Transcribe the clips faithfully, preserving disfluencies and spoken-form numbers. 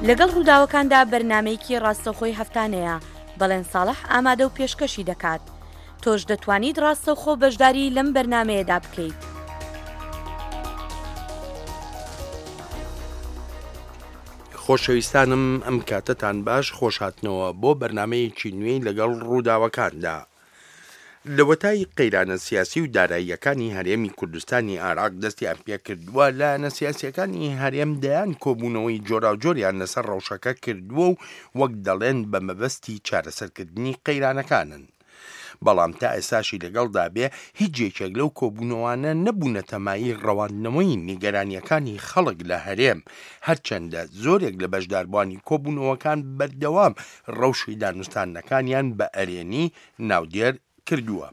لەگەڵ ڕووداوەکاندا بەرنامەیەکی ڕاستەوخۆی هەفتانەیە، بەڵێن ساڵح ئامادە و پێشکەشی دەکات. تۆش دەتوانیت ڕاستەوخۆ بەشداری لەم بەرنامەیەدا بکەیت. خۆشەویستانم ئەم کاتەتان باش، خۆشهاتنەوە بۆ بەرنامەیەکی نوێی لەگەڵ ڕووداوەکاندا. لەوەتای قەیرانە سیاسی و داراییەکانی هەرێمی کوردستانی عێراق دەستیان پێکردووە، لایەنە سیاسیەکانی هەرێم دەیان کۆبوونەوەی جۆراوجۆریان لەسەر ڕەوشەکە کردووە و وەک دەڵێن بە مەبەستی چارەسەرکردنی قەیرانەکانن. بەڵام تا ئێستاشی لەگەڵدا بێ هیچ یەکێک لەو کۆبوونەوانە نەبوونەتە مایەی ڕەواندنەوەی نیگەرانیەکانی خەڵک لە هەرێم، هەرچەندە زۆرێک لە بەشداربووانی کۆبوونەوەکان بەردەوام ڕەوشی دانوستاندنەکانیان بە ئەرێنی ناودێر کردووە.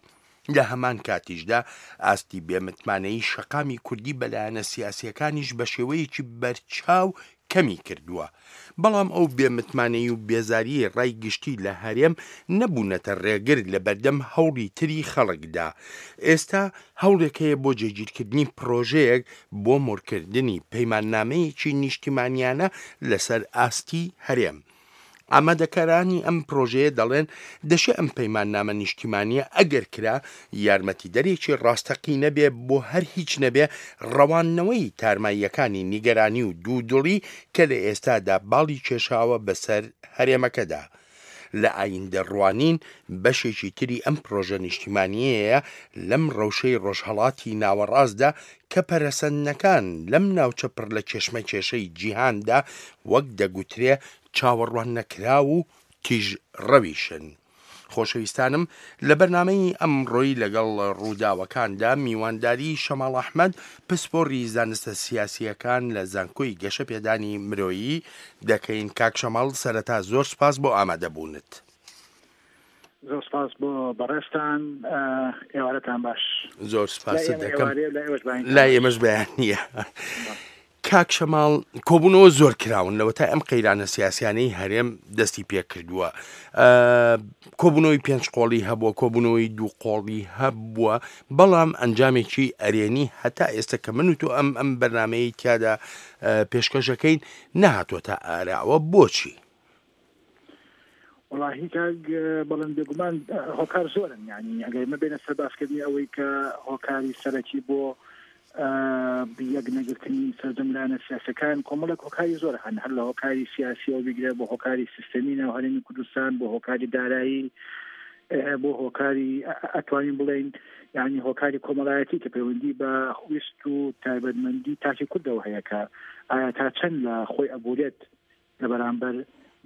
لە هەمان کاتیشدا ئاستی بێمتمانەیی شەقامی کوردی بە لایەنە سیاسیەکانیش بە شێوەیەکی بەرچاو کەمی کردووە. بەڵام ئەو بێمتمانەیی و بێزاریی ڕای گشتی لە هەرێم نەبوونەتە ڕێگر لە بەردەم هەوڵی تری خەڵکدا. ئێستا هەوڵێک هەیە بۆ جێگیرکردنی پرۆژەیەک بۆ مۆرکردنی پەیماننامەیەکی نیشتیمانیانە لەسەر ئاستی هەرێم. ئامادەکارانی ئەم پرۆژەیە دەڵێن دەشێ ئەم پەیماننامە نیشتیمانیە ئەگەر کرا یارمەتیدەرێکی ڕاستەقینە بێ بۆ هەر هیچ نەبێ ڕەواندنەوەی تارماییەکانی نیگەرانی و دوودڵی کە لە ئێستادا باڵی کێشاوە بەسەر هەرێمەکەدا. لە ئایندە ڕوانین بەشێکی تری ئەم پرۆژە نیشتیمانیەیە لەم ڕەوشەی ڕۆژهەڵاتی ناوەڕاستدا کە پەرەسەندنەکان لەم ناوچە پڕ لە کێشمەکێشەی جیهاندا وەک دەگوترێ چاوەڕوان نەکراو و تیژڕەویشن. خۆشەویستانم لە بەرنامەی ئەمڕۆی لەگەڵ ڕووداوەکاندا میوانداری شەماڵ ئەحمەد پسپۆڕی زانستە سیاسیەکان لە زانکۆی گەشەپێدانی مرۆیی دەکەین. کاک شەماڵ، سەرەتا زۆر سپاس بۆ ئامادەبوونت. زۆر سپاس بۆ بەڕێزتان، ئێوارەتان باش. زۆر سپاست دەکەم. لای ئێمەش بەیانییە. کاک شەماڵ، کۆبوونەوە زۆر کراون لەوەتای ئەم قەیرانە سیاسیانەی هەرێم دەستی پێکردووە. کۆبوونەوەی پێنج قۆڵی هەبووە، کۆبوونەوەی دوو قۆڵی هەبووە، بەڵام ئەنجامێکی ئەرێنی هەتا ئێستا کە من و تۆ ئەم ئەم بەرنامەیەی تیادا پێشکەشەکەین نەهاتووەتە ئاراوە. بۆچی؟ وەڵاهی کاک بەڵێن، بێگومان هۆکار زۆرن. یعنی ئەگەر مە بێنە سەر باسکردنی ئەوەی کە هۆکاری سەرەکی بۆ یەک نەگرتنی سەرجەم لایەنە سیاسەکان کۆمەڵێک هۆکاری زۆر هەن، هەر لە هۆکاری سیاسیەوە بگرە بۆ هۆکاری سیستەمی ناو هەرێمی کوردستان، بۆ هۆکاری دارایی، بۆ هۆکاری ئەتوانین بڵێین یعنی هۆکاری کۆمەڵایەتی کە پەیوەندی بە ویست و تایبەتمەندی تاکی کوردەوە هەیە کە ئایا تا چەند لە خۆی ئەبورێت لە بەرامبەر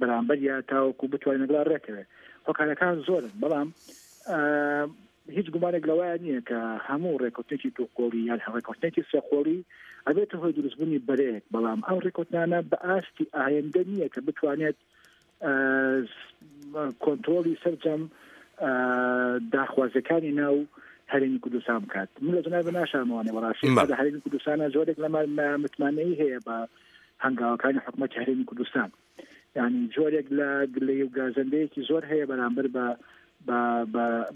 بەرامبەر یا تاوەکو بتوانین لەگەڵ ڕێکەوێت. هۆکارەکان زۆرن، بەڵام هیچ گومانێک لەوەیە نییە کە هەموو ڕێککەوتنێکی دوو قۆڵی یان ڕێککەوتنێکی سێ قۆڵی ئەبێتە هۆی دروستبوونی بەرەیەک، بەڵام ئەو ڕێککەوتنانە بە ئاستی ئایندە نییە کە بتوانێت کۆنترۆڵی سەرجەم داخوازیەکانی ناو هەرێمی کوردستان بکات. من لە جەنابی ناشارمەوانێ بەڕاستی لە هەرێمی کوردستانە جۆرێک لە متمانەیی هەیە بە هەنگاوەکانی حکوومەتی هەرێمی کوردستان، یعنی جۆرێک لە گلەیی و گازەندەیەکی زۆر هەیە بەرامبەر بە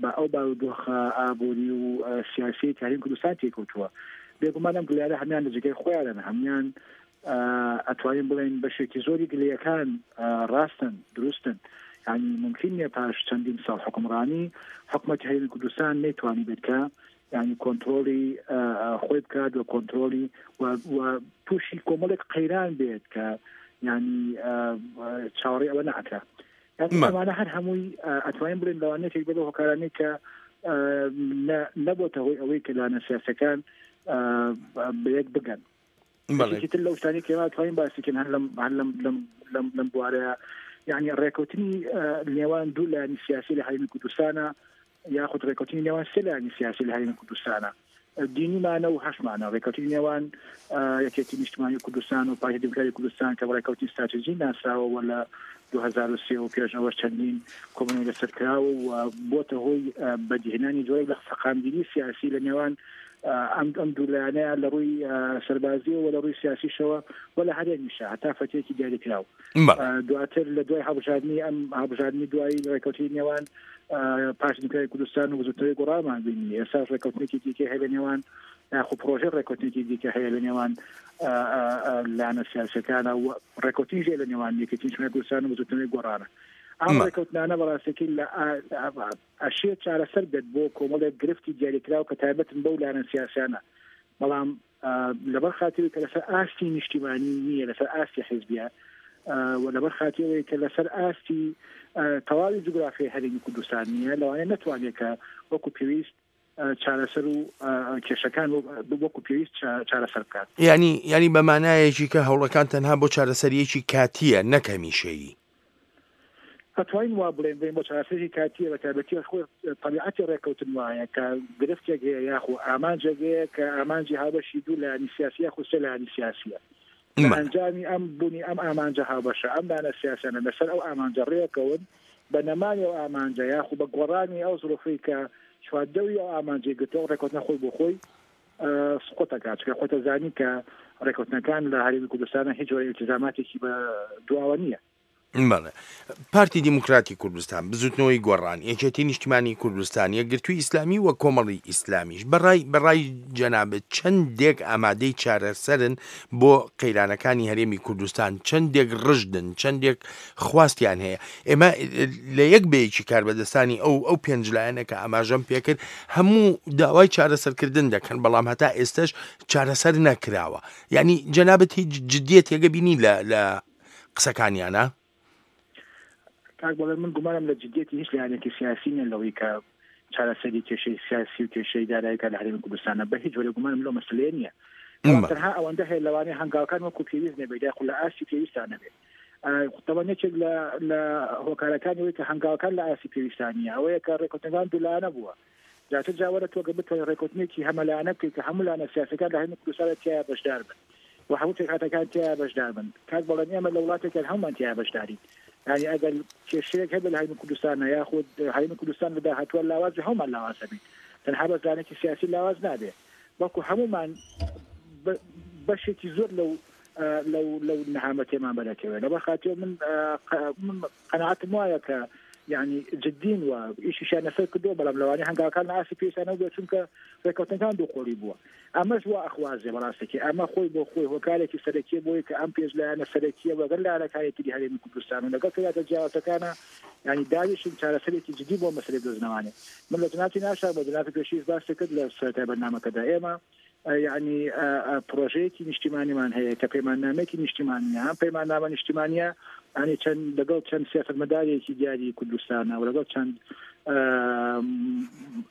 بە ئەو بارودۆخە ئابووری و سیاسی کە هەرێمی کوردستان تێکەوتووە. بێگومان ئەم گلەیانە هەمیان لە جێگەی خۆیانن، هەمیان ئەتوانین بڵێن بەشێکی زۆری گلەیەکان ڕاستن، دروستن. یعنی ممکن نییە پاش چەندین ساڵ حکومڕانی حکومەتی هەرێمی کوردستان نەیتوانی بێت کە یعنی کۆنترۆڵی خۆی بکات و کۆنترۆڵی و تووشی کۆمەڵێک قەیران بێت کە یعنی چاوەڕێ ئەوە نەکرا. ئەمانە هەر هەمووی ئەتوانین بڵێن لەوانەیەک بێت هۆکارانەی کە نەبۆتە هۆی ئەوەی کە لایەنە سیاسەکان بەیەک بگەن. یەکێکی تر لەو شتانەی کە ئێمە ئەتوانین باسی کەین هەر لەم هەر لەم لەم لەم لەم بوارەیە، یعنی ڕێککەوتنی نێوان دوو لایەنی سیاسی لە هەرێمی کوردستانە یاخود ڕێککەوتنی نێوان سێ لایەنی سیاسی لە هەرێمی کوردستانە، دینیمانە و هەشمانە. ڕێککەوتنی نێوان یەکێتی نیشتمانی کوردستان و پارتی دیموکراتی کوردستان کە بە ڕێککەوتنی ستراتیژی ناسراوە و لە دوو هەزار و سێ و پێش ئەوەش چەندین کۆبوونەوەی لەسەر کراوە و بۆتە هۆی بەدیهێنانی جۆرێک لە سەقامگیری سیاسی لە نێوان ئەم ئەم دوو لایەنەیە لە ڕووی سەربازیەوە و لە ڕووی سیاسیشەوە و لە هەرێمیشە هەتا فەتێکی دیاریکراو. دواتر لە دوای هەڵبژاردنی ئەم هەڵبژاردنی دوایی ڕێککەوتنی نێوان پارتی دیموکراتی کوردستان و بزووتنەوەی گۆڕانمان بینی. ئێستاش ڕێککەوتنێکی دیکە هەیە لە نێوان یاخود پرۆژەی ڕێککەوتنێکی دیکە هەیە لە نێوان لایەنە سیاسیەکانە و ڕێککەوتنیش لە نێوان یەکێتی نیشتمانی کوردستان و بزووتنەوەی گۆڕانە. ئەم ڕێککەوتنانە بەڕاستێکی لە ئەشێ چارەسەر بێت بۆ کۆمەڵێک گرفتی دیاریکراو کە تایبەتن بەو لایەنە سیاسیانە، بەڵام لەبەر خاتری کە لەسەر ئاستی نیشتیمانی نییە، لەسەر ئاستی حیزبیە و لەبەر خاتری کە لەسەر ئاستی تەواوی جوگرافیای هەرێمی کوردستان نییە، لەوانەیە نەتوانێت کە وەکو پێویست چارەسەر و کێشەکان وەکو پێویست چارەسەر بکات. یعنی یعنی بە مانایەکی کە هەوڵەکان تەنها بۆ چارەسەریەکی کاتیە نەک هەمیشەیی. ئەتوانین وا بڵێن بڵێن بۆ چارەسەری کاتیە، بە تایبەتی خۆی تەبیعەتی ڕێککەوتن وایە کە گرفتێک هەیە یاخۆ ئامانجێک هەیە کە ئامانجی هاوبەشی دوو لایەنی سیاسی یاخود سێ لایەنی سیاسیە. ئەنجامی ئەم بوونی ئەم ئامانجە هاوبەشە، ئەم لایەنە سیاسیانە لەسەر ئەو ئامانجە ڕێکەون، بە نەمانی ئەو ئامانجە یاخود بە گۆڕانی ئەو زروفەی کە چواردەوری ئەو ئامانجەی گرتووە، ڕێککەوتنە خۆی بۆ خۆی سقوط دەکات. چونکە خۆتە زانی کە ڕێککەوتنەکان لە هەرێمی کوردستانە هیچ جۆرە ئیلتیزاماتێکی بە دواوە نییە. بەڵێ. پارتی دیموکراتی کوردستان، بزوتنەوەی گۆڕان، یەکێتی نیشتیمانی کوردستان، یەکگرتووی ئیسلامی و کۆمەڵی ئیسلامیش بەڕای بەڕای جەنابت چەندێک ئامادەی چارەسەرن بۆ قەیرانەکانی هەرێمی کوردستان، چەندێک ڕژدن، چەندێک خواستیان هەیە؟ ئێمە لە یەک بەیەکی کاربەدەستانی ئەو ئەو پێنج لایەنە کە ئاماژەم پێکرد هەموو داوای چارەسەرکردن دەکەن، بەڵام هەتا ئێستاش چارەسەر نەکراوە. یعنی جەنابت هیچ جدیەتێکە بینی لە لە قسەکانیانە؟ کاک بەڵێ، من گومانم لە جدیەتی هیچ لایەنێکی سیاسی نییە لەوەی کە چارەسەری کێشەی سیاسی و کێشەی دارایی کە لە هەرێمی کوردستانە، بە هیچ جۆرێک گومانم لەو مەسەلەیە نییە. تەنها ئەوەندە هەیە لەوانەیە هەنگاوەکان وەکو پێویست نەبێت یاخود لە ئاستی پێویستان نەبێت. تەوان یەکێک لە هۆکارەکانی ئەوەی کە هەنگاوەکان لە ئاستی پێویستان نییە ئەوەیە کە ڕێککەوتنەکان دوولایەنە بووە. زیاتر جاوەرە تۆ کە بتوانیت ڕێککەوتنێکی هەمەلایەنە بکەیت کە هەموو لایەنە سیاسیەکان لە هەرێمی کوردستاندا تیایا بەشدار بن و هەموو پێکهاتەکان تیایا بەشدار بن. کاک بەڵێن، ئێمە لە وڵاتێکیان هەمومان تیایا بەشدارین. یعنی ئەگەر کێشەیەک هەبێت لە هەرێمی کوردستانە یاخود هەرێمی کوردستان لە داهاتووە لاواز بێ، هەمومان لاواز دەبین. تەنها بەس لایەنێکی سیاسی لاواز نابێ، بەڵکو هەمومان بەشێکی زۆر لەو لەو لەو نەهامەتێمان بەرەکەوێت. لەبەر خاتری من قەناعەتم وایە کە یعنی جدین و ئیشیشیان لەسەر کردووە، بەڵام لەوانەیە هەنگاوەکان لە ئاستی پێویستانەوە بێت، چونکە ڕێککەوتنەکان دوو قۆڵی بووە. ئەمەش وا ئەخوازێ بەڕاستێکی، ئەمە خۆی بۆ خۆی هۆکارێکی سەرەکیە بۆی کە ئەم پێش لایەنە سەرەکیە وەگەر لایەنەکانی تری هەرێمی کوردستان و لەگەڵ پێکهاتە جیاوازەکانە یعنی داویشن چارەسەرێکی جدی بۆ مەسەلەی دۆزنەوانێ. من لە جەنابی ناشار بە جەنابی پێشیش باسی کرد لە سەرەتای بەرنامەکەدا، ئێمە یعنی پرۆژەیەکی نیشتیمانیمان هەیە کە پەیماننامەیەکی نیشتیمانیە. ئەم پەیماننامە نیشتیمانیە یعنی چەند لەگەڵ چەند سیاسەتمەدارێکی دیاری کوردستانە و لەگەڵ چەند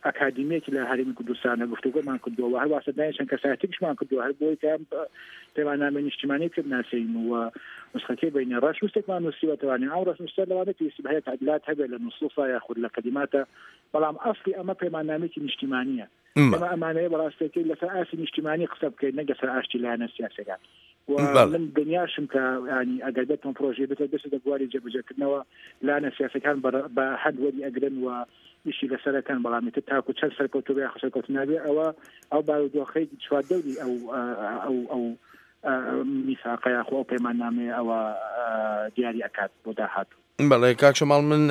ئەکادیمیەکی لە هەرێمی کوردستانە گفتوگۆمان کردووە و هەروەها سەردانی چەند کەسایەتێکیشمان کردووە هەر بۆی کە پەیماننامەی نیشتیمانی پێ بناسین و نسخەکەی بینە. ڕەشنووسێکمان نووسیوەتەوانێ، ئەو ڕەشنووسە لەوانەیە پێویستی بە هەیە تعدیلات هەبێت لە نووسووسا یاخود لە کەلیماتە، بەڵام ئەسڵی ئەمە پەیماننامەیەکی نیشتیمانیە. ئەمە ئەمانەیە بەڕاستەکەی لەسەر ئاستی نیشتیمانی قسە بکەین نەک لەسەر ئاستی لایەنە سیاسیەکان. و من دنیاشم کە ینی ئەگەر بێتم پرۆژەی بێتە بێتە بواری جێبەجێکردنەوە لایەنە سیاسەکان بە هەند وەری ئەگرن و ئیشی لەسەرەکەن، بەڵام ئیتر تاکو چەند سەرکەوتوو بێ یاخود سەرکەوتوو نابێ ئەوە ئەو بارودۆخەی چواردەوری ئەو ئەو ئەو میساقە یاخۆ ئەو پەیماننامەیە ئەوە دیاری ئەکات بۆ داهاتوو. بەڵێ کاک شەماڵ، من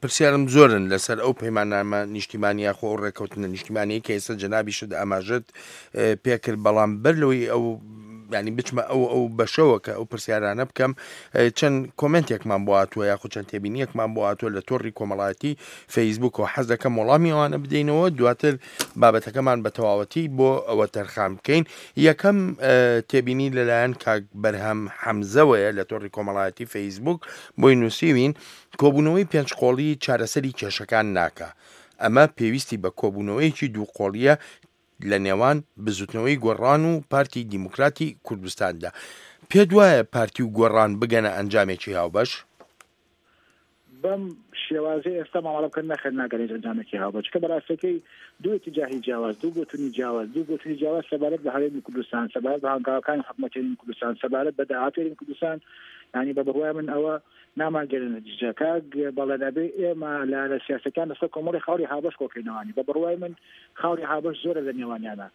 پرسیارم زۆرن لەسەر ئەو پەیماننامە نیشتیمانی یاخۆ ئەو ڕێککەوتنە نیشتیمانی کە ئێستا جەنابیشت ئاماژەت پێکرد، بەڵام بەر لەوەی ئەو ینی بچمە ئەو ئەو بەشەوە کە ئەو پرسیارانە بکەم، چەند کۆمنتێکمان بۆ هاتووە یاخود چەند تێبینیەکمان بۆ هاتووە لە تۆڕی کۆمەڵایەتی فەیسبوک و حەز دەکەم وەڵامی ئەوانە بدەینەوە، دواتر بابەتەکەمان بە تەواوەتی بۆ ئەوە تەرخان بکەین. یەکەم تێبینی لەلایەن کاک بەرهەم حەمزەوەیە لە تۆڕی کۆمەڵایەتی فەیسبوک بۆی نووسیوین کۆبوونەوەی پێنج قۆڵی چارەسەری کێشەکان ناکا، ئەمە پێویستی بە کۆبوونەوەیەکی دوو قۆڵیە لە نێوان بزوتنەوەی گۆڕان و پارتی دیموکراتی کوردستاندا. پێت وایە پارتی و گۆڕان بگەنە ئەنجامێکی هاوبەش؟ بەم شێوازەی ئێستا مامەڵە بکەن نەخێر ناگەنێت ئەنجامێکی هاوبەش، چونکە بەڕاستەکەی دوو اتجاهی جیاواز، دوو بۆچوونی جیاواز، دوو بۆچوونی جیاواز سەبارەت بە هەرێمی کوردستان، سەبارەت بە هەنگاوەکانی حکوومەتی هەرێمی کوردستان، سەبارەت بە داهاتووی هەرێمی کوردستان. یعنی بە بڕوای من ئەوە نامانگەرێنە نەتیجە. کاک بەڵێن، ئەبێ ئێمە لە سیاسەکان لەسەر کۆمەڵی خاڵی هاوبەش کۆکەینەوانی. بە بڕوای من خاڵی هاوبەش زۆرە لە نێوانیانە،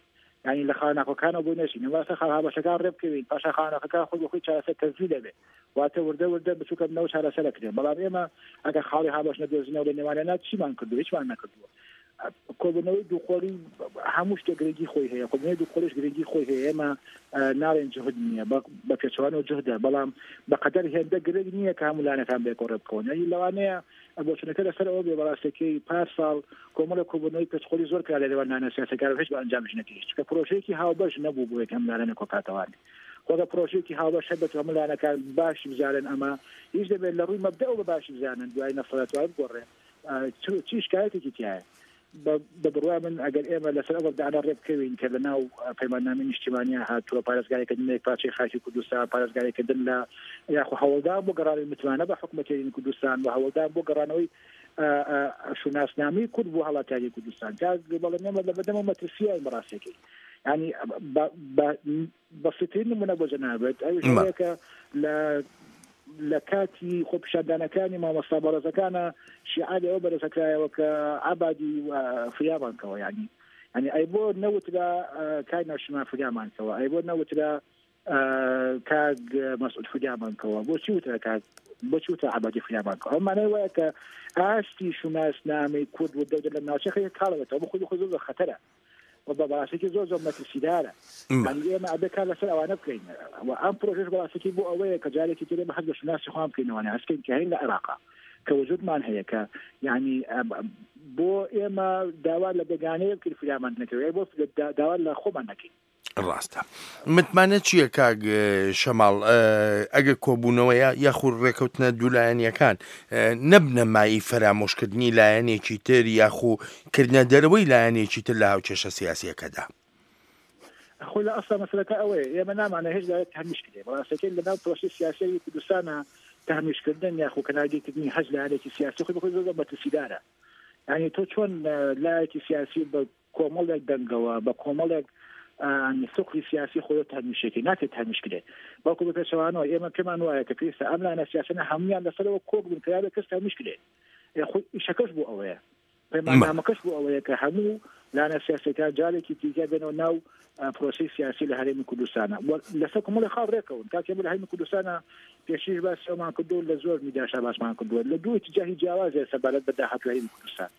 یعنی لە خاڵناکۆکانەوە بۆی نەچین، واسە خاڵ هاوبەشەکان ڕێ بکەوین، پاشا خاڵناکەکان خۆی بۆ خۆی چارەسەر تەزویر دەبێت، واتە وردە وردە بچووکە بنەوە چارەسەر دەکرێن. بەڵام ئێمە ئەگەر خاڵی هاوبەش نەدۆزینەوە لە نێوانیانە چیمان کردووە؟ هیچمان نەکردووە. کۆبوونەوەی دووقۆڵی هەموو شتێک گرنگی خۆی هەیە، کۆبوونەوەی دووقۆڵیش گرنگی خۆی هەیە. ئێمە ناڵێن جوهد نییە، بە پێچەوانەوە جوهدە، بەڵام بەقەدەر هێندە گرنگ نییە کە هەموو لایەنەکان بێکۆ ڕێ بکەون. یعنی لەوانەیە بۆچونەکە لەسەر ئەوە بێ بەڕاستەکەی پار ساڵ کۆمەڵە کۆبوونەوەی پێچقۆڵی زۆر کرا لە نێوان لایەنە سیاسیەکان و هیچ بە ئەنجامیش نەگەیشت، چونکە پرۆژەیەکی هاوبەش نەبوو بۆ یەک ئەم لایەنە کۆکاتەوانێ. خۆگە پرۆژەیەکی هاوبەش هەبێت هەموو لایەنەکان باشی بزانن، ئەمە هیچ دەبێت لە ڕووی مەبدەوە بە باشی بزانن، دوای نەفرەتوای بگۆڕێ چی شکایەتێکی تایە. بە بڕوای من ئەگەر ئێمە لەسەر ئەو مەبدەعانە ڕێ بکەوین کە لە ناو پەیماننامەی نیشتیمانیان هاتووە، پارێزگاریکردن لە یەکپارچەی خاکی کوردستان، پارێزگاریکردن لە یاخو هەوڵدان بۆ گەڕانەوەی متمانە بە حکوومەتی هەرێمی کوردستان و هەوڵدان بۆ گەڕانەوەی شوناسنامەی کورد بۆ هەڵاتیاری کوردستان، کاک بەڵێ ئێمە لە بەردەم مەترسیین بەڕاستیەکەی. یعنی بەسیترین نمونە بۆ جەنابێت ئەویش ئەوەیە کە لە لە کاتی خۆپیشاندانەکانی مامۆستا بەڕێزەکانە شیعاری ئەوە بەرزەکرایەوە کە عەبادی فریامانکەوە. یعنی یعنی ئەی بۆ نەوترا کاک نەوشیروان فریامانکەوە، ئەی بۆ نەوترا کاک مەسعود فریامانکەوە، بۆچی وترا کاک بۆچی وترا عەبادی فریامانکەوە؟ ئەو مانای وایە کە ئاستی شوناسنامەی کورد و دەودە لە ناوچەکە کاڵەوەتەوە، بۆ خۆی خۆی زۆر خەتەرە و بە بەڕاستێکی زۆر زۆر مەترسیدارە. یعنی ئێمە ئەبێ کار لەسەر ئەوانە بکەین و ئەم پرۆژەش بەڕاستێکی بۆ ئەوەیە کە جارێکی تر ئێمە حەز بە شوناسی خۆمان بکەینەوە، هەستکەین کە هەین لە عێراقا کە وجودمان هەیە، کە یعنی بۆ ئێمە داوا لە بێگانەیە بکەین فریامان نەکەوێت، بۆ داوا لە خۆمان نەکەین. ڕاستە. متمانە چییە کاک شەماڵ ئەگەر کۆبوونەوەیە یاخود ڕێکەوتنە دوولایەنیەکان نەبنە مایەی فەرامۆشکردنی لایەنێکی تر یاخو کردنە دەرەوەی لایەنێکی تر لە هاوکێشە سیاسیەکەدا؟ خۆی لە ئەسڵا مەسەلەکە ئەوەیە ئێمە نامانە هیچ لایەک تهمیش کرێ. بەڕاستەکەی لەناو پرۆسەی سیاسیی کوردستانە تهمیشکردن یاخو کەنارگیرکردنی هەچ لایەنێکی سیاسی خۆی بەخۆی زۆر مەترسیدارە. یعنی تۆ چۆن لایەکی سیاسی بە کۆمەڵێک دەنگەوە بە کۆمەڵێک سوقی سیاسی خۆی تهمیشێکی ناکرێت تهمیش کرێت، بەڵکو بە پێچەوانەوە ئێمە پێمان وایە کە پێویستە ئەم لایەنە سیاسیانە هەمویان لەسەرەوە کۆک بن کە یابێت کەس تهمیش کرێت. خۆی ئیشەکەش بۆ ئەوەیە، پەیماننامەکەش بۆ ئەوەیە کە هەموو لایەنە سیاسیەکان جارێکی دیکە بێنەوە ناو پرۆسەی سیاسی لە هەرێمی کوردستانە لەسەر کۆمەڵی خاڵ ڕێکەون. کاتێ لە هەرێمی کوردستانە پێشیش باسی ئەومان کردووە، لە زۆر میدیاشا باسمان کردووە، لە دوو ئیتیجاهی جیاوازە سەبارەت بە داهاتووی هەرێمی کوردستان.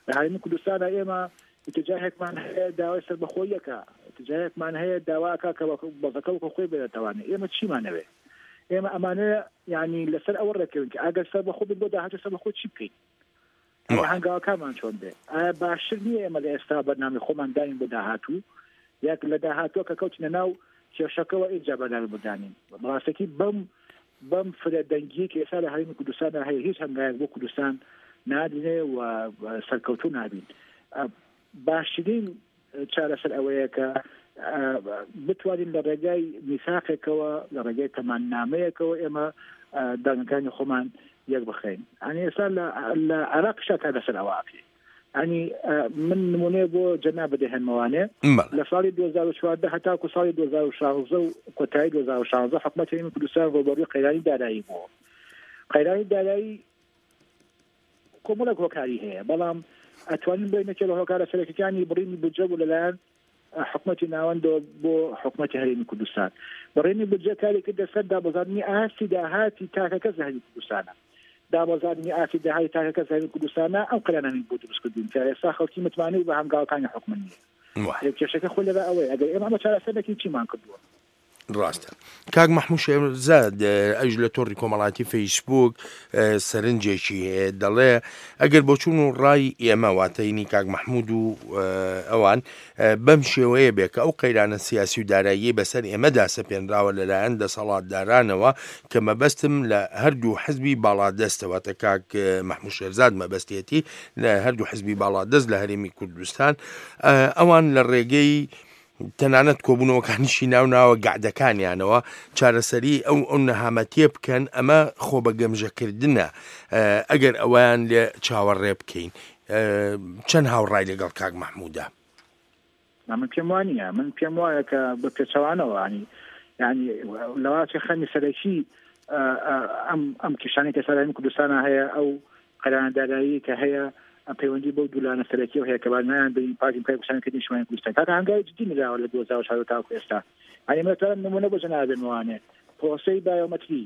لە هەرێمی کوردستانە ئێمە اتجاهێکمان هەیە داوای سەربەخۆییەکە، اتجاهێکمان هەیە داواکە کە بەزەکە وەکو خۆی بێتەوانێ. ئێمە چیمانەوێ؟ ئێمە ئەمانە یعنی لەسەر ئەوە ڕێکەوین کە ئەگەر سەربەخۆ بین بۆ داهاتوو سەربەخۆ چی بکەین، هەنگاوەکانمان چۆن بێ؟ ئایا باشتر نییە ئێمە لە ئێستا بەرنامەی خۆمان دانین بۆ داهاتوو، یاک لە داهاتووە کە کەوتینە ناو کێشەکەوە ئینجا بەرنامە بۆ دانین؟ بەڕاستەکی بەم بەم فرە دەنگیە کە ئێستا لە هەرێمی کوردستاندا هەیە هیچ هەنگاوێک بۆ کوردستان نادرێ و سەرکەوتوو نابین. باشترین چارەسەر ئەوەیە کە بتوانین لە ڕێگای میساقێکەوە لە ڕێگای تەماننامەیەکەوە ئێمە دەنگەکانی خۆمان یەک بخەین. یعنی ئێستا لە عێراقیشا کار لەسەر ئەوە ئەکرێ. یعنی من نمونەیە بۆ جەناب دەهێنمەوانێ لە ساڵی دوو هەزار و چواردە هەتاکو ساڵی دوو هەزار و شازدە و کۆتایی دوو هەزار و شازدە حکوومەتی هەرێمی کوردستان ڕووبەڕووی قەیرانی دارایی بووە. قەیرانی دارایی کۆمەڵێک هۆکاری هەیە، بەڵام ئەتوانین بڵێین یەکێ لە هۆکارە سەرەکیەکانی بڕینی بودجە بوو لەلایەن حکوومەتی ناوەندەوە بۆ حکوومەتی هەرێمی کوردستان. بڕینی بودجە کاری کردە سەر دابەزاندنی ئاستی داهاتی تاکەکەس لە هەرێمی کوردستانە. دابەزاندنی ئاستی داهاتی تاکەکەس لە هەرێمی کوردستانە ئەم قەیرانانەی بۆ دروست کردوون کە ئێستا خەڵکی متمانەی بە هەنگاوەکانی حکومەت نییە. کێشەکە خۆی لەبەر ئەوەیە ئەگەر ئێمە ئەمە چارەسەر نەکەین چیمان کردووە؟ ڕاستە. کاک مەحموود شێرزاد ئەویش لە تۆڕی کۆمەڵاتی فەیسبوک سەرنجێکی هەیە، دەڵێ ئەگەر بۆچوون و ڕای ئێمە واتەینی کاک مەحموود و ئەوان بەم شێوەیە بێ کە ئەو قەیرانە سیاسی و دارایی بەسەر ئێمەدا سەپێنراوە لەلایەن دەسەڵاتدارانەوە کە مەبەستم لە هەردوو حزبی باڵادەستە، واتە کاک مەحموود شێرزاد مەبەستێتی لە هەردوو حزبی باڵادەست لە هەرێمی کوردستان، ئەوان لە ڕێگەی تەنانەت کۆبوونەوەکانیشی ناوناوە گەعدەکانیانەوە چارەسەری ئەو ئەو نەهامەتیە بکەن، ئەمە خۆ بە گەمژەکردنە ئەگەر ئەویان لێ چاوەڕێ بکەین. چەند هاوڕای لەگەڵ کاک مەحموودە؟ من پێم وانییە، من پێم وایە کە بە پێچەوانەوە ینی یعنی لەواچێ خەمی سەرەکی ئەم ئەم کێشانەی کە سەر هەرێمی کوردستانە هەیە، ئەو قەیرانە دارایی کە هەیە پەیوەندی بەو دوولانە سەرەکیەوە هەیە کە نایان بین پارتی دیموکراتی کوردستان کردنی نیشتمانی کوردستان. کاکە هەنگاوی جدی نراوە لە دوو هەزار و چواردە تاوەکو ئێستا. یعنی من دەتوانم نمونە بۆ جەناب بێنمەوانێ پرۆسەی بایۆمەتری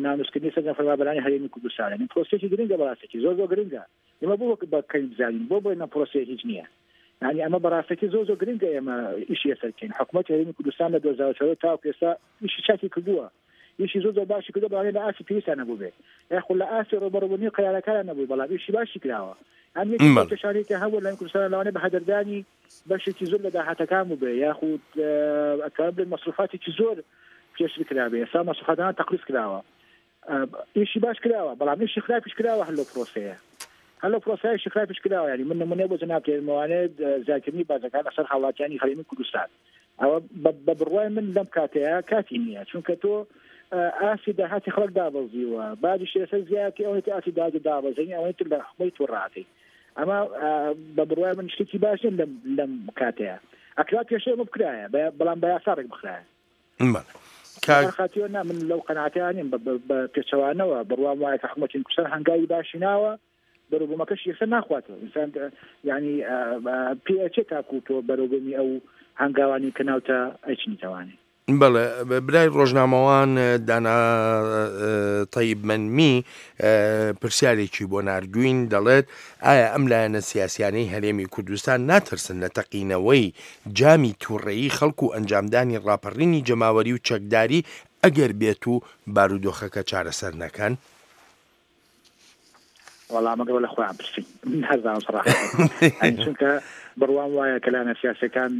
ناموسکردنی سەرجەم فەرمانبەرانی هەرێمی کوردستان، یعنی پرۆسەیەکی گرنگە، بەڕاستێکی زۆر زۆر گرنگە. ئێمە بۆ بە کەی بزانین بۆ بڵێن ئەم پرۆسەیە هیچ نییە. یعنی ئەمە بەڕاستەکی زۆر زۆر گرنگە ئێمە ئیشی لەسەر بکەین. حکوومەتی هەرێمی کوردستان لە دوو هەزار و چواردە تاوەکو ئێستا ئیشی چاکی کردووە، ئیشی زۆر زۆر باشی کردووە، بەڵام لە ئاستی پێویستیان نەبوو بێ یاخود لە ئاستی ڕووبەڕووبوونی قەیرانەکانیان نەبوو، بەڵام ئیشی باشی کراوە. ئەم یەکێک کێشانەی کە هەبوو لە کوردستان لەوانەیە بە هەدەردانی بەشێکی زۆر لە داهاتەکان بوو بێ یاخود ئەتوانم بڵێم مەسروفاتێکی زۆر پێشتر کرابێ، ئێستا مەسروفاتەکان تەقلیص کراوە. ئیشی باش کراوە بەڵام ئیشی خراپیش کراوە هەر لەو پرۆسەیە، هەر لەو پرۆسەیە ئیشی خراپیش کراوە. یعنی من نمونەیە بۆ جەناب تێرمەوانێت زیادکردنی باجەکان لەسەر هاوڵاتیانی هەرێمی کوردستان، ئەوە بە بڕوای من لەم کاتەیە کاتی نییە، چونکە تۆ ئاستی داهاتی خەڵک دابەزیوە، باجیش لەسەر زیادکەی ئەوەی تر ئاستی داهاتی دابەزێنی ئەوەی تر لە خۆی تۆ ڕاتەی. ئەمە بە بڕوای من شتێکی باش نییە لەم لەم کاتەیە. ئەکرا پێشێ ئەمە بکرایە بەڵام بە یاسا ڕێک بخرایە. خاتیەوە نا من لەو قەناعەتەیان نیم، بە پێچەوانەوە بڕوام وایە کە حکوومەتی کوردستان هەنگاوی باشی ناوە، بەرەوبوومەکەش یەکسەر ناخواتەوە. ئینسان یعنی پێئەچێ تاکوو تۆ بەرەوبوومی ئەو هەنگاوانی کە ناوتە ئەیچنیتەوانێ. بەڵێ برای ڕۆژنامەوان دانا تەیب مەنمی پرسیارێکی بۆ ناردوین، دەڵێت ئایا ئەم لایەنە سیاسیانەی هەرێمی کوردستان ناترسن لە تەقینەوەی جامی تووڕەیی خەڵک و ئەنجامدانی ڕاپەڕینی جەماوەری و چەکداری ئەگەر بێت و بارودۆخەکە چارەسەر نەکەن؟ وەڵام ئەگەر لە خۆیان پرسین من هەرزان سەراحەت، چونکە بڕوام وایە کە لایەنە سیاسیەکان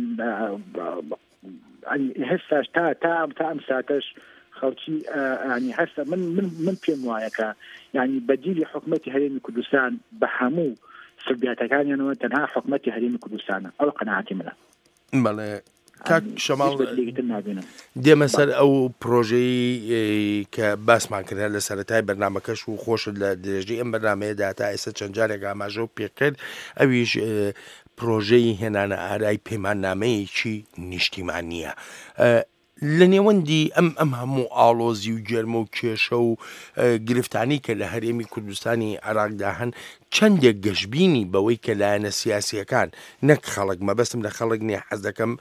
هێستاش تا تا تا ئەم ساتەش خەڵکی ینی هەستا من من من پێم وایە کە ینی بەدیلی حکوومەتی هەرێمی کوردستان بە هەموو سلبیاتەکانیانەوە تەنها حکوومەتی هەرێمی کوردستانە. ئەو قەناعەتی منە. بەڵێ کاک شەماڵ، دێمە سەر ئەو پرۆژەی کە باسمان کرد لە سەرەتای بەرنامەکەش و خۆشت لە درێژەی ئەم بەرنامەیەدا تا ئێستا چەند جارێک ئاماژە و پێکرد، ئەویش پرۆژەی هێنانە ئارای پەیماننامەیەکی نیشتیمانییە. لە نێوەندی ئەم ئەم هەموو ئاڵۆزی و گەرمە و کێشە و گرفتانی کە لە هەرێمی کوردستانی عێراقدا هەن، چەندێک گەشببینی بەوەی کە لایەنە سیاسیەکان نەک خەڵک، مەبەستم لە خەڵک نییە، حەز دەکەم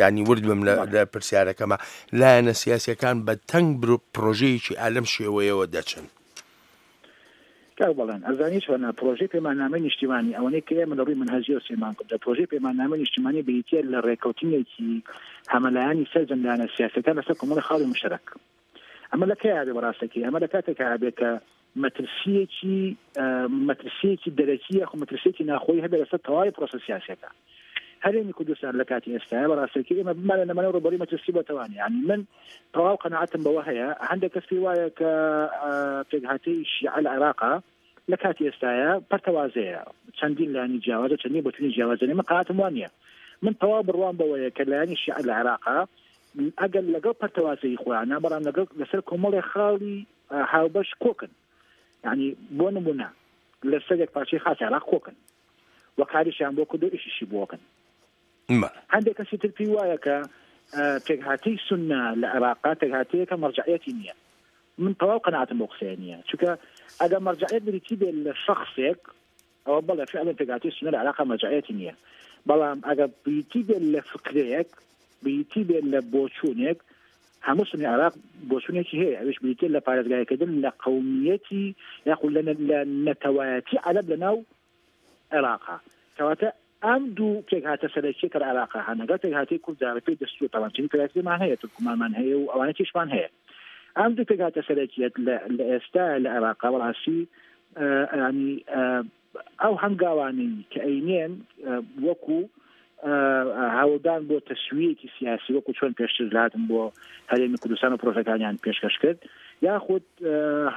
ینی ورد بم لە پرسیارەکەمە، لایەنە سیاسیەکان بە تەنگ پرۆژەیەکی ئالەم شێوەیەوە دەچن؟ کاک بەڵێن ئەزانی چۆنە پرۆژەی پەیماننامەی نیشتیمانی ئەوەنەی کە ئێمە لە ڕووی مەنهەجیەوە سێمان کردە، پرۆژەی پەیماننامەی نیشتیمانی بریتییە لە ڕێککەوتنێکی هەمەلایەنی سەرجەم لایەنە سیاسیەکان لەسەر کۆمەڵی خاڵی مشتەرەک. ئەمە لە کەیا بێ بەڕاستەکەی؟ ئەمە لە کاتێکا بێ کە مەترسیەکی مەترسیەکی دەرەکی یاخود مەترسیەکی ناخۆیی هەبێ لەسەر تەواوی پرۆسە سیاسیەکە. هەرێمی کوردستان لە کاتی ئێستاە بەڕاستەکەی ئێمە بمانە نەمانە ڕووبەڕووی مەترسی بۆتەوانێ. یعنی من تەواو قەناعەتم بەوە هەیە، هەندێک کەس پێی وایە کە پێکهاتەی شیعە لە عێراقا لە کاتی ئێستاە پەرتەوازەیە، چەندین لایەنی جیاوازە، چەندین بۆچوونی جیاوازە. من قەناعەتم وانە نییە. من تەواو بڕوام بەوەیە کە لایەنی شیعە لە عێراقا ئەگەر لەگەڵ پەرتەوازەی خۆیانە، بەڵام لەگەڵ لەسەر کۆمەڵێ خاڵی هاوبەش کۆکن. یعنی بۆ نمونە لەسەر یەک پارچەی خاکی عێراق کۆکن و کاریشیان بۆ کردو ئیشیشی بۆکن. هەندێک کەسی تر پێی وایە کە پێکهاتەی سوننە لە عێراقا پێکهاتەیەکە مەرجعیەتی نییە. من تەواو قەناعەتم بۆ قسەیە نییە، چونکە ئەگەر مەرجعیەت بریتی بێت لە شەخسێک، ئەوە بەڵێ فعلا پێکهاتەی سوننە لە عێراقا مەرجعیەتی نییە، بەڵام ئەگەر بریتی بێت لە فکرەیەک، بریتی بێت لە بۆچوونێک، هەموو سوننی عێراق بۆچوونێکی هەیە، ئەویش بریتیە لە پارێزگاریکردن لە قەومیەتی یاخود لە نەتەوایەتی عەرەب لەناو عێراقا. کەواتە ئەم دوو پێکهاتە سەرەکیە کە لە عێراقا هەن، لەگەڵ پێکهاتەی کورددا بەپێی دەستوور تەوان چنین پێکهاتەمان هەیە، تورکمانمان هەیە و ئەوانە تیشمان هەیە. ئەم دوو پێکهاتە سەرەکیەت لە ئێستا لە عێراقا بەڕاستی ینی ئەو هەنگاوانەی کە ئەینێن وەکو هەوڵدان بۆ تەسویەکی سیاسی، وەکو چۆن پێشتر هاتن بۆ هەرێمی کوردستان و پرۆژەکانیان پێشکەش کرد، یاخود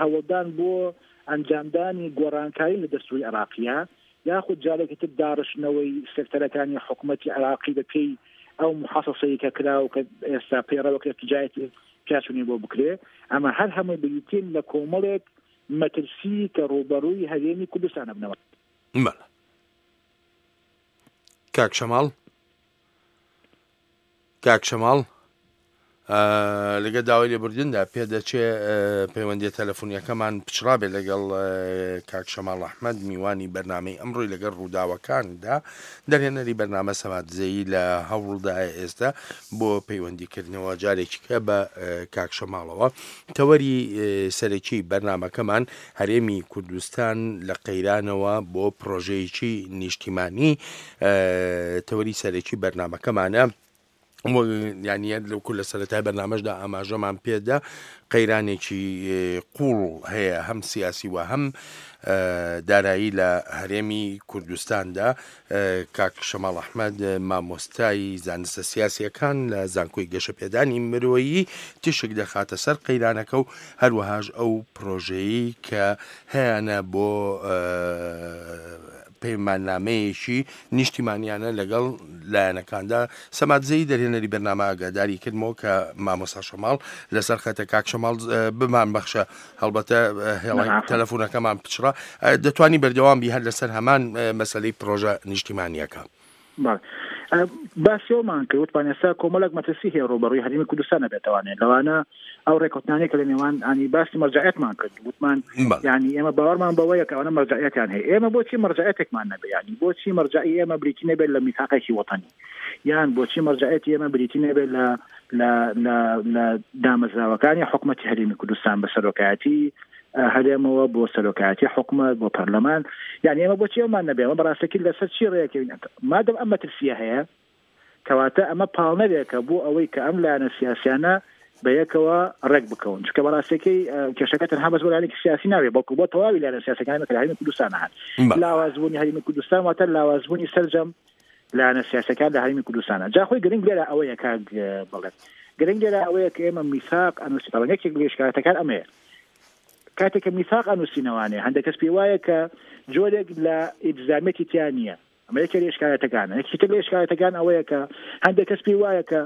هەوڵدان بۆ ئەنجامدانی گۆڕانکاری لە دەستوری عێراقیە، یاخود جارێکی تر داڕشتنەوەی سێکتەرەکانی حکوومەتی عێراقی بە پێی ئەو محاسەسەی کە کرا و کە ئێستا پەیڕەوەکرێت تجارەتی پیاچوونی بۆ بکرێ. ئەمە هەر هەمووی بریتین لە کۆمەڵێک مەترسی کە ڕووبەڕووی هەرێمی کوردستان بنەوە. بەڵێ کاک شەماڵ، کاک شەماڵ، لەگە داوای لێبوردندا پێدەچێ پەیوەندیە تەلەفۆنیەکەمان پچڕابێ لەگەڵ کاک شەماڵ ئەحمەد میوانی بەرنامەی ئەمڕۆی لەگەڵ ڕووداوەکاندا. دەرهێنەری بەرنامە سەمادزەیی لە هەوڵدایە ئێستا بۆ پەیوەندیکردنەوە جارێکیکە بە کاک شەماڵەوە. تەوەری سەرەکی بەرنامەکەمان هەرێمی کوردستان لە قەیرانەوە بۆ پرۆژەیەکی نیشتیمانی تەوەری سەرەکی بەرنامەکەمانە. یعنی لەوکو لە سەرەتای بەرنامەشدا ئاماژەمان پێدا قەیرانێکی قوڵ هەیە هەم سیاسی و هەم دارایی لە هەرێمی کوردستاندا. کاک شەماڵ ئەحمەد مامۆستای زانستە سیاسیەکان لە زانکۆی گەشەپێدانی مرۆیی تیشک دەخاتە سەر قەیرانەکە و هەروەهاش ئەو پرۆژەیەی کە هەیانە بۆ پەیماننامەیەکی نیشتیمانیانە لەگەڵ لایەنەکاندا. سەمادزەی دەرهێنەری بەرنامە ئاگاداری کردمەوە کە مامۆستا شەماڵ لەسەر خەتە. کاک شەماڵ بمان بەخشە، هەڵبەتە هێڵی تەلەفۆنەکەمان پچڕا، دەتوانی بەردەوام بی هەر لەسەر هەمان مەسلەی پرۆژە نیشتیمانیەکە. باسیەوەمان کرد وتمان ئێستا کۆمەڵێک مەترسی هەیە ڕووبەڕووی هەرێمی کوردستان نەبێتوانێت، لەوانە ئەو ڕێککەوتنانەی کە لە نێوان ینی باسی مەرجعیەتمان کرد، وتمان یعنی ئێمە باوەڕمان بەوەیە کە ئەوانە مەرجعیەتیان هەیە. ئێمە بۆچی مەرجعیەتێکمان نەبێ؟ یعنی بۆچی مەرجعی ئێمە بریتی نەبێت لە میثاقێکی وەتەنی، یان بۆچی مەرجعیەتی ئێمە بریتی نەبێت لە لە لە لە دامەزراوەکانی حکومەتی هەرێمی کوردستان بە سەرۆکایەتی هەرێمەوە بۆ سەرۆکایەتی حکومەت بۆ پەرلەمان؟ یعنی ئێمە بۆچی ئەومان نەبێ؟ ئەمە بەڕاستەکی لەسەر چی ڕێکەوین؟ مادەم ئەم مەترسیە هەیە کەواتە ئەمە پاڵنەرێکە بۆ ئەوەی کە ئەم لایەنە سیاسیانە بەیەکەوە ڕێک بکەون، چونکە بەڕاستەکەی کێشەکە تەنها بەس بۆ لایەنێکی سیاسی نابێ، بەڵکو بۆ تەواوی لایەنە سیاسەکانی کە لە هەرێمی کوردستان هەن. لاوازبوونی هەرێمی کوردستان واتە لاوازبوونی سەرجەم لایەنە سیاسەکان لە هەرێمی کوردستانە. جا خۆی گرنگ لێرە ئەوەیە کاک بڵێ، گرنگ لێرە ئەوەیە کە ئێمە میثاق ئەنووسینەوە. یەکێک لە ئیشکالاتەکان ئەمەیە، کاتێک کە میثاق ئەنووسینەوانێ هەندێک کەس پێی وایە کە جۆرێک لە ئیلزامێتی تیا نییە. ئەمە یەکێک لە ئیشکالاتەکانە. یەکێکی تر لە ئیشکالاتەکان ئەوەیە کە هەندێک کەس پێی وایە کە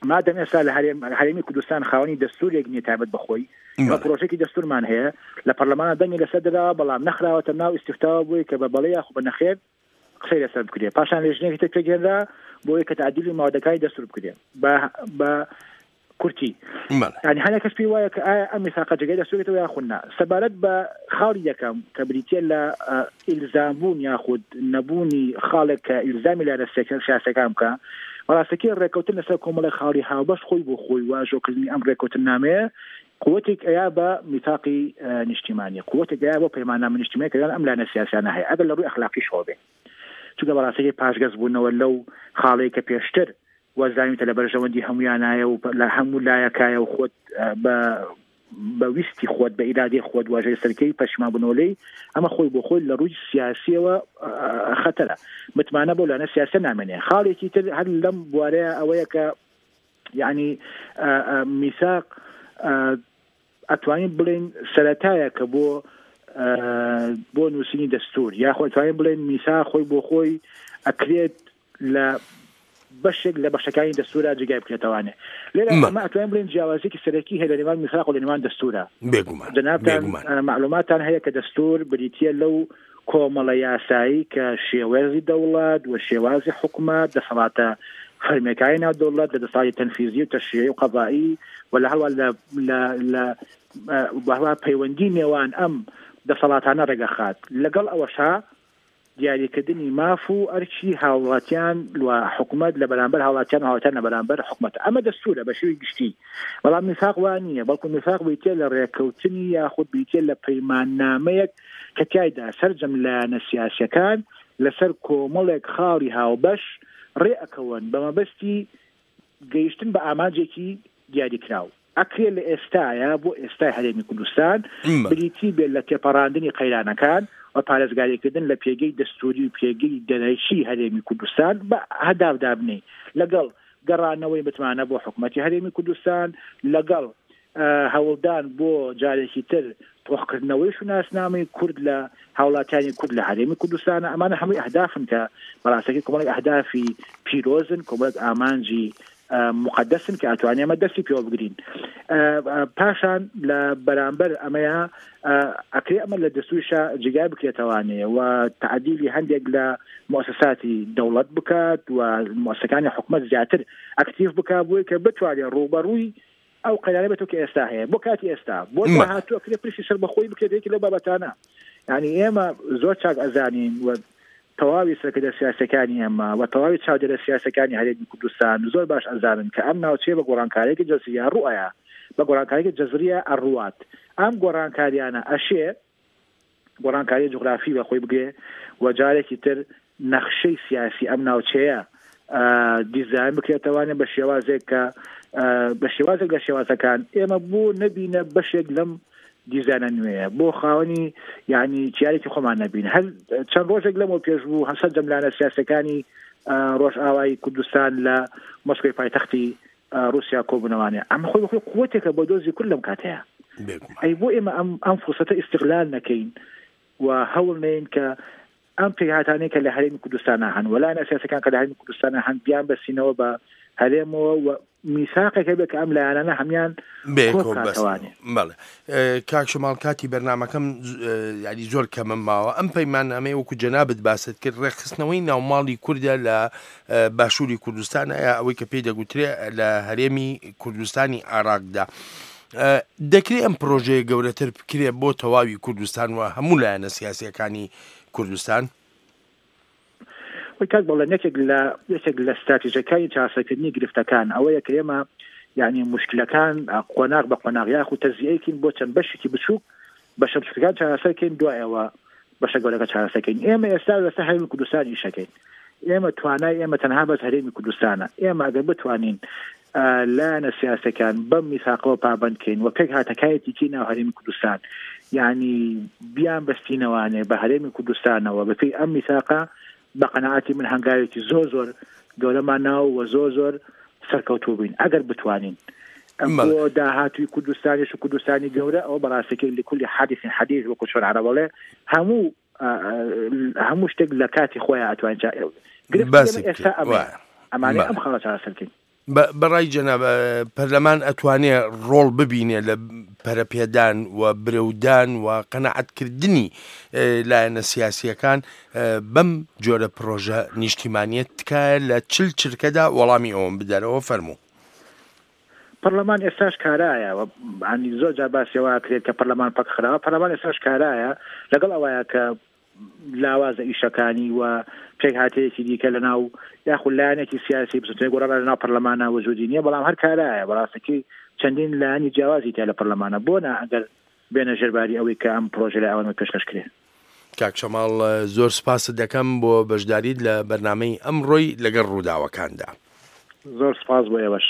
مادەم ئێستا لە هەرێمی کوردستان خاوەنی دەستورێک نییە تایبەت بەخۆی، ئێمە پرۆژێکی دەستورمان هەیە لە پەرلەمانە دەنگی لەسەر دراوە، بەڵام نەخراوەتە ناو ئیستیفتاوە بۆی کە بە بەڵێ یاخود بە نەخێر قسەی لەسەر بکرێ. پاشان لێژنەیەکی تر پێکهێنرا بۆی کە تعدیلی مادەکانی دەستور بکرێ بە بە کورتی. یعنی هەندێک کەس پێی وایە کە ئایا ئەم میثاقە جێگای دەستورێتەوە یاخود نا. سەبارەت بە خاڵی یەکەم کە بریتیە لە ئیلزامبوون یاخود نەبوونی خاڵێک کە ئیلزامی لایەنە سیاسەکان بکە، بەڕاستەکەی ڕێککەوتن لەسەر کۆمەڵێک خاڵی هاوبەش خۆی بۆ خۆی واژۆکردنی ئەم ڕێککەوتننامەیە قوتێک ئەیا بە میثاقی نیشتیمانی، قوتێک ئەیا بۆ پەیماننامە نیشتیمانی کە ئەم لایەنە سیاسیانە هەیە، ئەگەر لە ڕووی ئەخلاقیشەوە بێ. چونکە بەڕاستەکەی پاشگەز بوونەوە لەو خاڵەی کە پێشتر وەزانیتە لە بەرژەوەندی هەمویانایە و لە هەموو لایەکایە و خۆت بە بە ویستی خۆت بە ئیرادەی خۆت واژەی سەرکەی پەشیمان بوونەوە لێی، ئەمە خۆی بۆ خۆی لە ڕووی سیاسیەوە خەتەرە، متمانە بۆ لایەنە سیاسە نامێنێ. خاڵێکی تر هەر لەم بوارەیە ئەوەیە کە یعنی میثاق ئەتوانین بڵێن سەرەتایە کە بۆ بۆ نووسینی دەستور، یاخۆ ئەتوانین بڵێن میثاق خۆی بۆ خۆی ئەکرێت لە بەشێک لە بەشەکانی دەستورا جێگای بکرێتەوانێ. لێرە ئەمە ئەتوانین بڵێن جیاوازیەکی سەرەکی هەیە لە نێوان میثاق و لە نێوان دەستورا. بێگومان جەنابتان معلوماتان هەیە کە دەستور بریتیە لەو کۆمەڵە یاسایی کە شێوازی دەوڵەت و شێوازی حکومەت، دەسەڵاتە فەرمیەکانی ناو دەوڵەت لە دەسەڵاتی تەنفیزی و تەشریعی و قەزایی و لە هەروە لە هەروە پەیوەندی نێوان ئەم دەسەڵاتانە ڕێگەخات. لەگەڵ ئەوەشا دیاریکردنی ماف و ئەرکی هاوڵاتیان و حکومەت لە بەرامبەر هاوڵاتیان و هاوڵاتیان لە بەرامبەر حکومەت. ئەمە دەستورە بە شێوەی گشتی، بەڵام میثاق وا نییە، بەڵکو میثاق بریتیە لە ڕێککەوتنی یاخود بریتیە لە پەیماننامەیەک کە تیایدا سەرجەم لایەنە سیاسیەکان لەسەر کۆمەڵێک خاڵی هاوبەش ڕێ ئەکەون بە مەبەستی گەیشتن بە ئامانجێکی دیاریکراو. ئەکرێ لە ئێستاە بۆ ئێستای هەرێمی کوردستان بریتی بێت لە تێپەڕاندنی قەیرانەکان و پارێزگاریکردن لە پێگەی دەستوری و پێگەی دەرەکی هەرێمی کوردستان بە هەداف دابنێ، لەگەڵ گەڕانەوەی متمانە بۆ حکومەتی هەرێمی کوردستان، لەگەڵ هەوڵدان بۆ جارێکی تر تۆخکردنەوەی شوناسنامەی کورد لە هاوڵاتیانی کورد لە هەرێمی کوردستان. ئەمانە هەمووی ئەهدافن کە بەڕاستەکەی کۆمەڵێک ئەهدافی پیرۆزن، کۆمەڵێک ئامانجی مقدسن کە ئەتوانێ ئەمە دەستی پێوە بگرین. پاشان لە بەرامبەر ئەمەیە ئەکرێ ئەمە لە دەستوریشە جێگای بکرێتەوانێ و تعدیلی هەندێک لە مؤسساتی دەوڵەت بکات و مؤسسەکانی حکومەت زیاتر ئەکتیڤ بکات بۆی کە بتوانێت ڕووبەڕووی ئەو قەیرانە بێتەوە کە ئێستا هەیە بۆ کاتی ئێستا بۆ داهاتوو ئەکرێ پرسی سەربەخۆی بکرێت یەکی لەو بابەتانە. یعنی ئێمە زۆر چاک ئەزانین و تەواوی سەرکردە سیاسەکانی ئێمە و تەواوی چاودێرە سیاسەکانی هەرێمی کوردستان زۆر باش ئەزانن کە ئەم ناوچەیە بە گۆڕانکارییەکی جەزریە ڕوئەیە، بە گۆڕانکارییەکی جەزریە ئەڕوات. ئەم گۆڕانکاریانە ئەشێ گۆڕانکاری جوگرافی بە خۆی بگرێ و جارێکی تر نەخشەی سیاسی ئەم ناوچەیە دیزاین بکرێتەوانێ بە شێوازێک کە بە شێوازێک لە شێوازەکان ئێمە بۆ نەبینە بەشێک لەم دیزانە نوێیە، بۆ خاوەنی یعنی چیارێکی خۆمان نەبین. هەر چەند ڕۆژێک لەمەوە پێش بوو هەسەر جەملانە سیاسەکانی ڕۆژئاوای کوردستان لە مۆسکۆی پایتەختی ڕوسیا کۆبوونەوانێ. ئەمە خۆی بەخۆی قوتێکە بۆ دۆزی کورد لەم کاتەیە. ئەی بۆ ئێمە ئەم ئەم فرسەتە ئیستغلال نەکەین و هەوڵ نەین کە ئەم پێکهاتانەی کە لە هەرێمی کوردستانە هەن و لایەنە سیاسەکان کە لە هەرێمی کوردستانە هەن بیان بەسینەوە بە هەرێمەوە و میساقێک هەبێت کە ئەم لایەنانە هەمیان کۆبکاتەوانێ. بەڵێ کاک شەماڵ، کاتی بەرنامەکەم یعنی زۆر کەمم ماوە. ئەم پەیماننامەیە وەکو جەنابت باست کرد ڕێکخستنەوەی ناوماڵی کوردە لە باشووری کوردستان، ئایا ئەوەی کە پێی دەگوترێ لە هەرێمی کوردستانی عێراقدا دەکرێت ئەم پرۆژەیە گەورەتر بکرێت بۆ تەواوی کوردستان و هەموو لایەنە سیاسیەکانی کوردستان؟ وی کاک بەڵێن، یەکێک لە یەکێک لە ستراتیژەکانی چارەسەرکردنی گرفتەکان ئەوەیە کە ئێمە یعنی مشکلەکان قۆناغ بە قۆناغ یاخود تەجزیەکین بۆ چەند بەشێکی بچووک، بەشە بچووکەکان چارەسەرکەین، دوایەوە بەشە گەورەکە چارەسەرکەین. ئێمە ئێستا لەسەر هەرێمی کوردستان ئیشەکەین. ئێمە توانای ئێمە تەنها بەس هەرێمی کوردستانە. ئێمە ئەگەر بتوانین لایەنە سیاسەکان بەم میثاقەوە پابەندکەین و پێک هاتەکایەتیکی ناو هەرێمی کوردستان یعنی بیان بەستینەوانێ بە هەرێمی کوردستانەوە بەپێی ئەم میثاقە، بە قەناعەتی من هەنگاوێکی زۆر زۆر گەورەمان ناو و زۆر زۆر سەرکەوتوو بین ئەگەر بتوانین. بۆ داهاتووی کوردستانیش و کوردستانی گەورە ئەوە بەڕاستەکەی لەکولی حادث حدیث وەکو چۆن عەرەب ئەڵێ هەموو هەموو شتێک لە کاتی خۆیان ئەتوانین گرفت ئێستا ئەمانە ئەم خاڵە چارەسەرکەین. بەڕای جەناب پەرلەمان ئەتوانێ ڕۆڵ ببینێ لە پەرەپێدان و برەودان و قەناعەتکردنی لایەنە سیاسیەکان بەم جۆرە پرۆژە نیشتیمانیەت؟ تکایە لە چل چرکەدا وەڵامی ئەوەم بدەرەوە فەرموو. پەرلەمان ئێستاش کارایە، ینی زۆر جار باسیەوە کرێت کە پەرلەمان پەک خراوە. پەرلەمان ئێستاش کارایە لەگەڵ ئەوەیە کە لاوازە ئیشەکانی و پێکهاتەیەکی دیکە لەناو یاخود لایەنێکی سیاسی بزوتنەوەی گۆڕان لەناو پەرلەمانە وجودی نییە، بەڵام هەر کارایە. بەڕاستەکەی چەندین لایەنی جیاوازی تیا لە پەرلەمانە بۆ نا ئەگەر بێنە ژێرباری ئەوەی کە ئەم پرۆژە لە ئەوانەوە پێشکەش کرێ. کاک شەماڵ زۆر سپاست دەکەم بۆ بەشداریت لە بەرنامەی ئەمڕۆی لەگەڵ ڕووداوەکاندا. زۆر سپاس بۆ ئێوەش.